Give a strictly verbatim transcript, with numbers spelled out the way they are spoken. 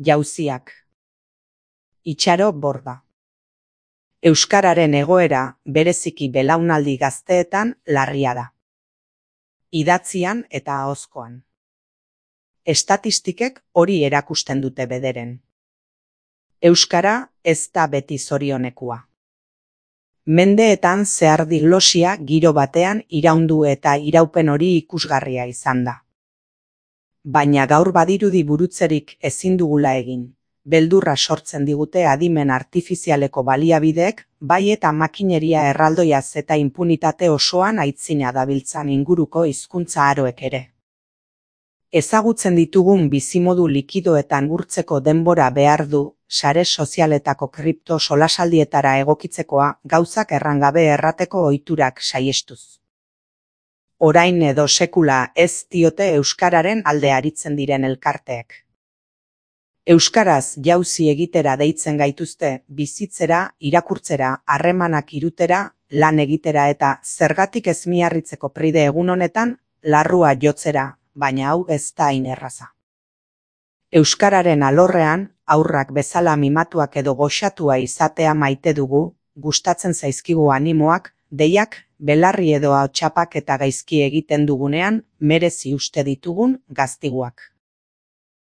Jauziak. Itxaro Borda. Euskararen egoera, bereziki belaunaldi gazteetan, larria da. Idatzian eta ahozkoan. Estatistikek hori erakusten dute bederen. Euskara ez da beti zorionekua. Mendeetan zehar diglosia giro batean iraundu eta iraupen hori ikusgarria izan da. Baina gaur badirudi burutzerik ezin dugula egin. Beldurra sortzen digute adimen artifizialeko baliabideek, bai eta makineria erraldoiaz eta impunitate osoan aitzina dabiltzan inguruko hizkuntza aroek ere. Ezagutzen ditugun bizimodu likidoetan urtzeko denbora behar du, sare sozialetako kripto solasaldietara egokitzekoa gauzak errangabe errateko ohiturak saihestuz. Orain edo sekula ez diote euskararen alde aritzen diren elkarteek. Euskaraz jauzi egitera deitzen gaituzte bizitzera, irakurtzera, harremanak irutera, lan egitera eta zergatik ez miarritzeko pride egun honetan, larrua jotzera, baina hau ez da hain erraza. Euskararen alorrean, haurrak bezala mimatuak edo goxatua izatea maite dugu, gustatzen zaizkigu animoak, deiak, belarri edo ahotsapak eta gaizki egiten dugunean, merezi uste ditugun gaztiguak.